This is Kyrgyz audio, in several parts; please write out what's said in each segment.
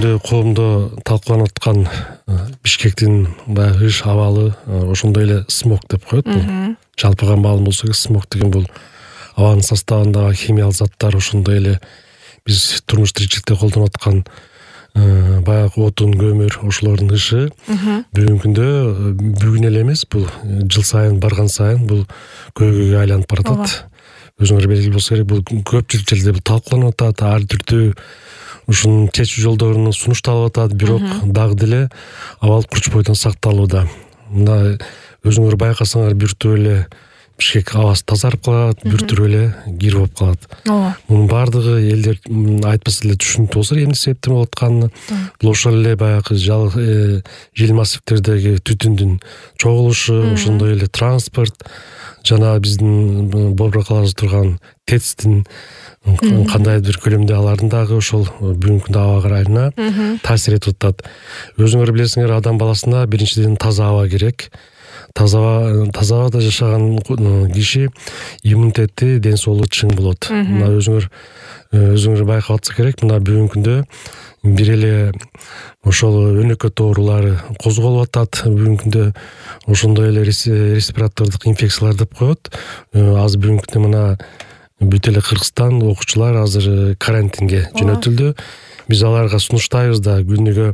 күндө коомдо талкууланып аткан Бишкектин баягы иш абалы ошондой эле смог деп коет. Бул жалпыга маалым болсо керек, смог деген бул абанын составындагы химиялык заттар, ошондой эле биз турмуш тиричиликте колдонуп аткан баягы отун, көмүр, ошолордун ышы бүгүнкү күндө бүгүн эле эмес, бул жыл сайын барган сайын бул көйгөйгө айланып баратат. Өзүңөр белгилүү болсо керек, бул көпчүлүк жерде бул талкууланып атат, ар түрдүү ушунун чечүү жолдорунун сунушталып атат, бирок дагы деле абал курч бойдон сакталууда. Мына өзүңөр байкасаңар бир түп эле Бишкек абасы тазарып калат, бир түп эле кир болуп калат. Мунун баардыгы элдер айтпаса эле түшүнүктүү болсо, эмне себептен болуп атканы. Бул ошол эле баягы жел массивтердеги түтүндүн чогулушу, ошондой эле транспорт, жана биздин Борбор калабызда турган ТЭЦтин кандайдыр бир көлөмдө алардын дагы ошол бүгүнкү күндө аба ырайына таасир этип атат. Өзүңөр билесиңер, адам баласына биринчиден таза аба керек. Таза абада жашаган киши иммунитети, ден соолугу чың болот. Мына өзүңөр байкап атса керек, мына бүгүнкү күндө бир эле ошол өнөкөт оорулары козголуп атат. Бүгүнкү күндө ошондой эле респиратордук инфекциялар деп коет. Азыр бүгүнкү күндө мына бүт эле Кыргызстан окуучулар азыр карантинге жөнөтүлдү. Биз аларга сунуштайбыз да, күнүгө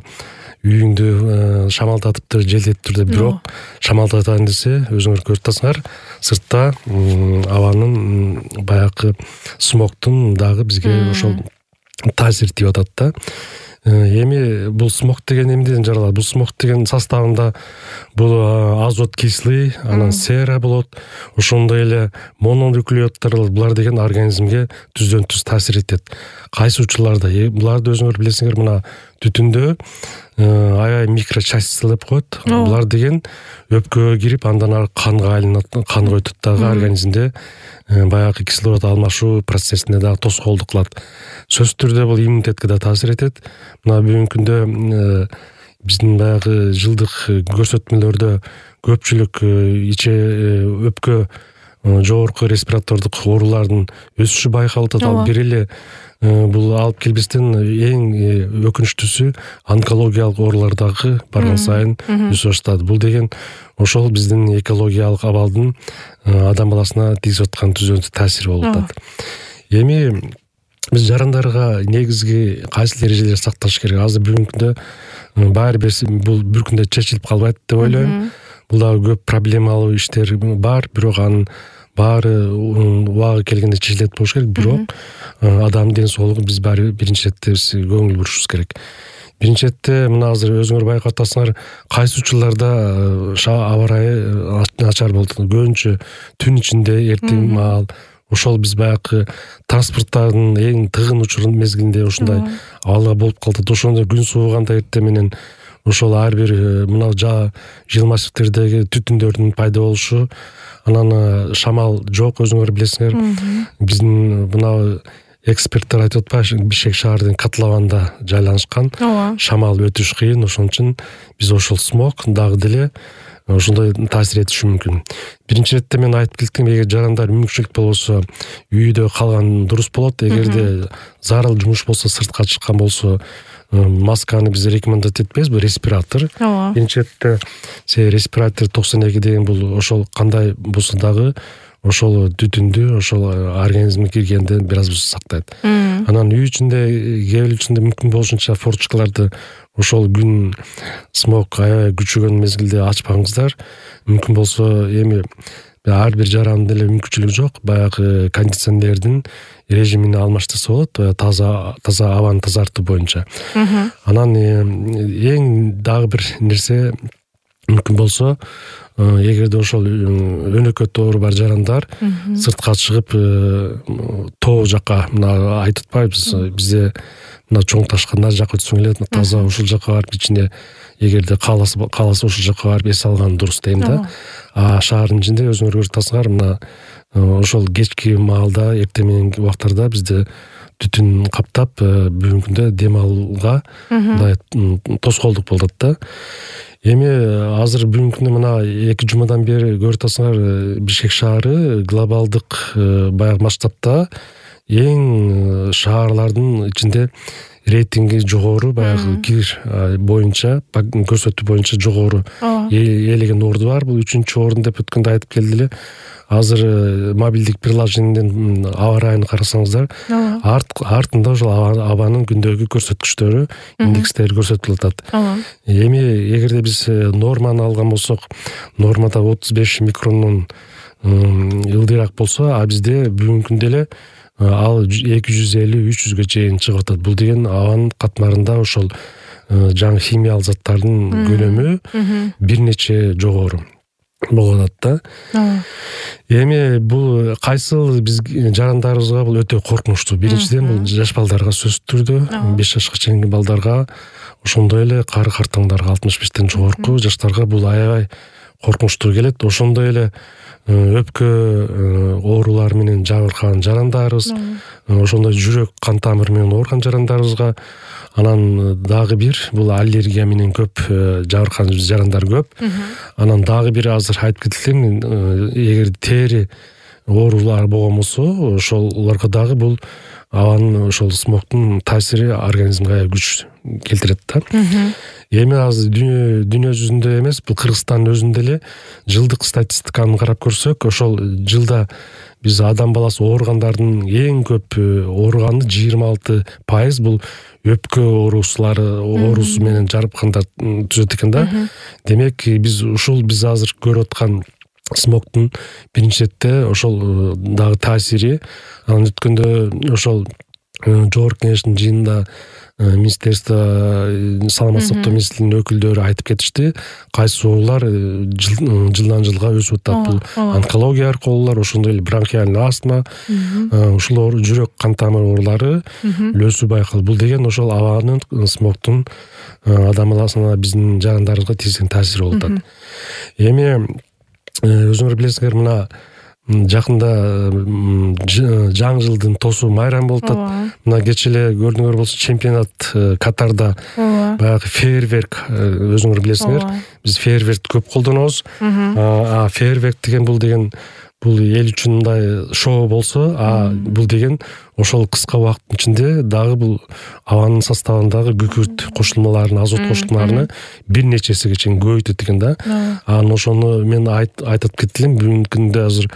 үйүңдү шамалдатыптыр, желдетиптир деп, бирок шамалдатайын десе, өзүңөр көрүп атасыңар, сыртта абанын баягы смогтун дагы бизге ошол таасир тийип атат да. Эми бул смог деген эмнеден жаралат? Бул смог деген составында бул азот кислый, анан сера болот, ошондой эле мононуклеоттар болот. Булар деген организмге түздөн түз таасир этет. Кайсы учурларда? Буларды өзүңөр билесиңер, мына түтүндө аябай микрочастица деп коет. Булар деген өпкөгө кирип, андан ары канга айланат, канга өтөт дагы, организмде баягы кислород алмашуу процессине дагы тоскоолдук кылат. Сөзсүз түрдө бул иммунитетке да таасир этет. Мына бүгүнкү күндө биздин баягы жылдык көрсөтмөлөрдө көпчүлүк өпкө жогорку респиратордук оорулардын өсүшү байкалып атат. Ал бир эле бул алып келбестен эң өкүнүчтүүсү онкологиялык оорулар дагы барган сайын өсүп баштады. Бул деген ошол биздин экологиялык абалдын адам баласына тийгизип аткан түздөн түз таасири болуп атат. Эми биз жарандарга негизги кайсы эрежелерди сакташ керек? Азыр бүгүнкү күндө баары бир бул бир күндө чечилип калбайт деп ойлойм. Бул дагы көп проблемалуу иштер бар, бирок анын баары убагы келгенде чечилет болуш керек. Бирок адамдын ден соолугу биз баары биринчи четте көңүл бурушубуз керек. Биринчи четте мына азыр өзүңөр байкап атасыңар, кайсы учурларда аба ырайы начар болот. Көбүнчө түн ичинде, эртең маал. Ошол биз баягы транспорттардын эң тыгын учурун мезгилинде ушундай абалга болуп калат. Ошондо күн сууганда эртең менен ошол ар бир мына жыл массивтердеги түтүндөрдүн пайда болушу, анан шамал жок, өзүңөр билесиңер. Биздин мына эксперттер айтып атпайбы, Бишкек шаарынын котлованда жайланышкан, шамал өтүш кыйын, ошон үчүн биз ошол смог дагы деле ошондой таасир этиши мүмкүн. Биринчи четте мен айтып кеттим, эгер жарандар мүмкүнчүлүк болбосо үйдө калган дурус болот. Эгерде зарыл жумуш болсо, сыртка чыккан болсо, масканы биз рекомендовать этпейбиз, бул респиратор. Биринчи четте респиратор 92 деген бул ошол кандай болсо дагы ошол түтүндү ошол организмге киргенде бир аз сактайт. Анан үй ичинде, кээ бир ичинде мүмкүн болушунча форточкаларды ошол күн смог аябай күчөгөн мезгилде ачпаңыздар. Мүмкүн болсо эми ар бир жарандын деле мүмкүнчүлүгү жок, баягы кондиционердин режимин алмаштырса болот, таза абаны тазартуу боюнча. Анан эң дагы бир нерсе мүмкүн болсо, эгерде ошол өнөкөт оору бар жарандар сыртка чыгып тоо жака, мына айтып атпайбыз, бизде мына чоң ташкандар жака өтсөң эле таза ошол жака барып ичине, эгерде кааласа ошол жака барып эс алган дурус дейм да. Шаардын ичинде өзүңөр көрүп атасыңар, мына ошол кечки маалда, эртең мененки убактарда бизде түтүн каптап, бүгүнкү күндө дем алууга мындай тоскоолдук болуп атат да. Эми азыр бүгүнкү күндө мына 2 жумадан бери көрүп атасыңар, Бишкек шаары глобалдык баягы масштабта эң шаарлардын ичинде рейтинги жогору, баягы кир боюнча көрсөтүү боюнча жогору ээлеген орду бар. Бул 3-орун деп өткөндө айтып келди эле. Азыр мобилдик приложениеден аба ырайын карасаңыздар, артында ошол абанын күндөгү көрсөткүчтөрү, индекстери көрсөтүлүп атат. Эми эгерде биз норманы алган болсок, нормада 35 микрондон ылдыйраак болсо, а бизде бүгүнкү күндө эле ал 250-300га чейин чыгып атат. Бул деген абанын катмарында ошол жаңы химиялык заттардын көлөмү бир нече жогору болуп атат да. Эми бул кайсыл биз жарандарыбызга бул өтө коркунучтуу. Биринчиден бул жаш балдарга сөзсүз түрдө, 5 жашка чейинки балдарга, ошондой эле кары картаңдарга, 65тен жогорку жаштарга бул аябай коркунучтуу келет. Ошондой эле өпкө оорулары менен жабыркаган жарандарыбыз, ошондой жүрөк кан тамыр менен ооруган жарандарыбызга, анан дагы бир бул аллергия менен көп жабыркаган жарандар көп. Анан дагы бир азыр айтып кетилген, эгер тери оорулары болгон болсо, ошолорго дагы бул абанын ошол смогтун таасири организмге күч келтирет да. Эми азыр дүйнө жүзүндө эмес, бул Кыргызстандын өзүндө эле жылдык статистиканы карап көрсөк, ошол жылда биз адам баласы ооругандардын эң көп ооруганы 26% бул өпкө оорусу менен жарыпкандар түзөт экен да. Демек биз азыр көрүп аткан смогтун биринчи четте ошол дагы таасири. Анан өткөндө ошол жогорку кеңештин жыйынында Министерство саламаттык сактоо министрлигинин өкүлдөрү айтып кетишти, кайсы оорулар жылдан жылга өсүп атат. Бул онкология оорулар, ошондой эле бронхиальный астма, ушул жүрөк кан тамыр оорулары өсүү байкалды. Бул деген ошол абанын смогтун адам баласына, биздин жарандарыбызга тийгизген таасири болуп атат. Эми өзүңөр билесиңер, мына жакында жаңы жылдын тосу майрам болуп атат. Мына кечээ эле көрдүңөр болсо, чемпионат Катарда баягы фейерверк, өзүңөр билесиңер, биз фейерверкти көп колдонобуз. Фейерверк деген бул эл үчүн мындай шоу болсо, бул деген ошол кыска убакыттын ичинде дагы бул абанын составындагы күкүрт кошулмаларын, азот кошулмаларын бир нече эсеге чейин көбөйтөт экен да. Анан ошону мен айтып кеттим, бүгүнкү күндө азыр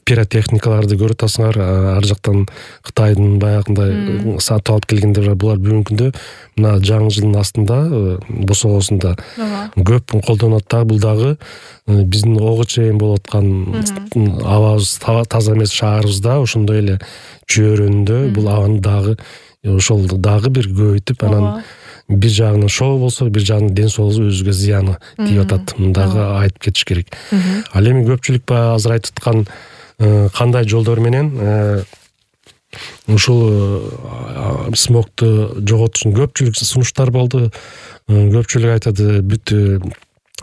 пиротехникаларды көрүп атасыңар, ар жактан Кытайдын баягындай сатып алып келгендер, булар бүгүнкү күндө мына жаңы жылдын астында, босогосунда көп колдонот да. Бул дагы биздин ого чейин болуп аткан абабыз таза эмес шаарыбызда, ошондой эле чөйрөндө бул абаны дагы ошол дагы бир көбөйтүп, анан бир жагынан шоу болсо, бир жагынан ден соолугубузга өзүгө зыяны тийип атат. Мындагы айтып кетиш керек. Ал эми көпчүлүк баягы азыр айтып аткан кандай жолдор менен ушул смогту жоготуш үчүн көпчүлүк сунуштар болду. Көпчүлүк айтат, бүт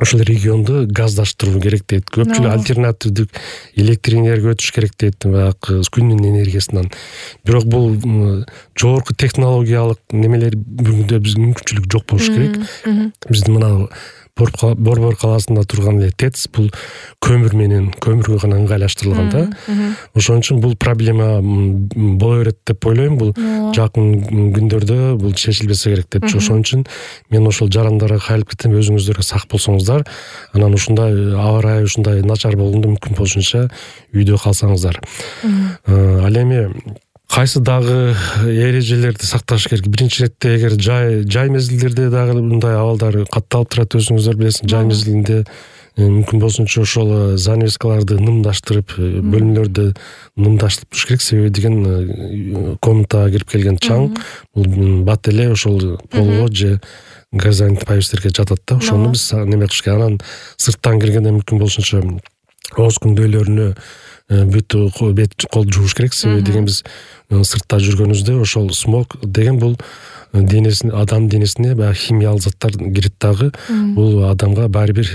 ошол регионду газдаштыруу керек дейт. Көпчүлүк альтернативдик электр энергияга өтүш керек дейт, баягы күндүн энергиясынан. Бирок бул жогорку технологиялык немелер бүгүндө бизге мүмкүнчүлүк жок болуш керек. Биздин мына Борбор калаасында турган эле ТЭЦ бул көмүргө гана ыңгайлаштырылган да. Ошон үчүн бул проблема боло берет деп ойлойм. Бул жакын күндөрдө бул чечилбесе керек деп. Ошон үчүн мен ошол жарандарга кайрылып кетем, өзүңүздөр сак болсоңуздар. Анан ушундай аба ырайы ушундай начар болгондо мүмкүн болушунча үйдө калсаңыздар. Ал эми кайсы дагы эрежелерди сакташ керек? Биринчи иретте, эгер жай мезгилдерде дагы мындай абалдар катталып турат, өзүңүздөр билесиң, жай мезгилинде мүмкүн болсунча ошол занавескаларды нымдаштырып, бөлмөлөрдү нымдаштырып туруш керек. Себеби деген комнатага кирип келген чаң бул бат эле ошол полго же газонит повестерге жатат да. Ошону биз неме кылыш керек. Анан сырттан киргенде мүмкүн болушунча ооз күндөлөрүнө бүт бет колду жууш керек. Себеби деген биз сыртта жүргөнүбүздө ошол смог деген бул адам денесине баягы химиялык заттар кирип дагы, бул адамга баары бир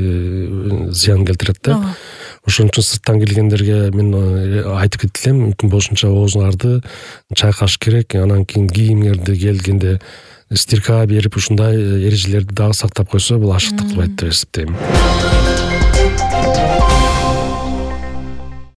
зыян келтирет да. Ошон үчүн сырттан келгендерге мен айтып кетилем, мүмкүн болушунча оозуңарды чайкаш керек. Анан кийин кийимиңерди келгенде стирка берип, ушундай эрежелерди дагы сактап койсо, бул ашыктык кылбайт деп эсептейм.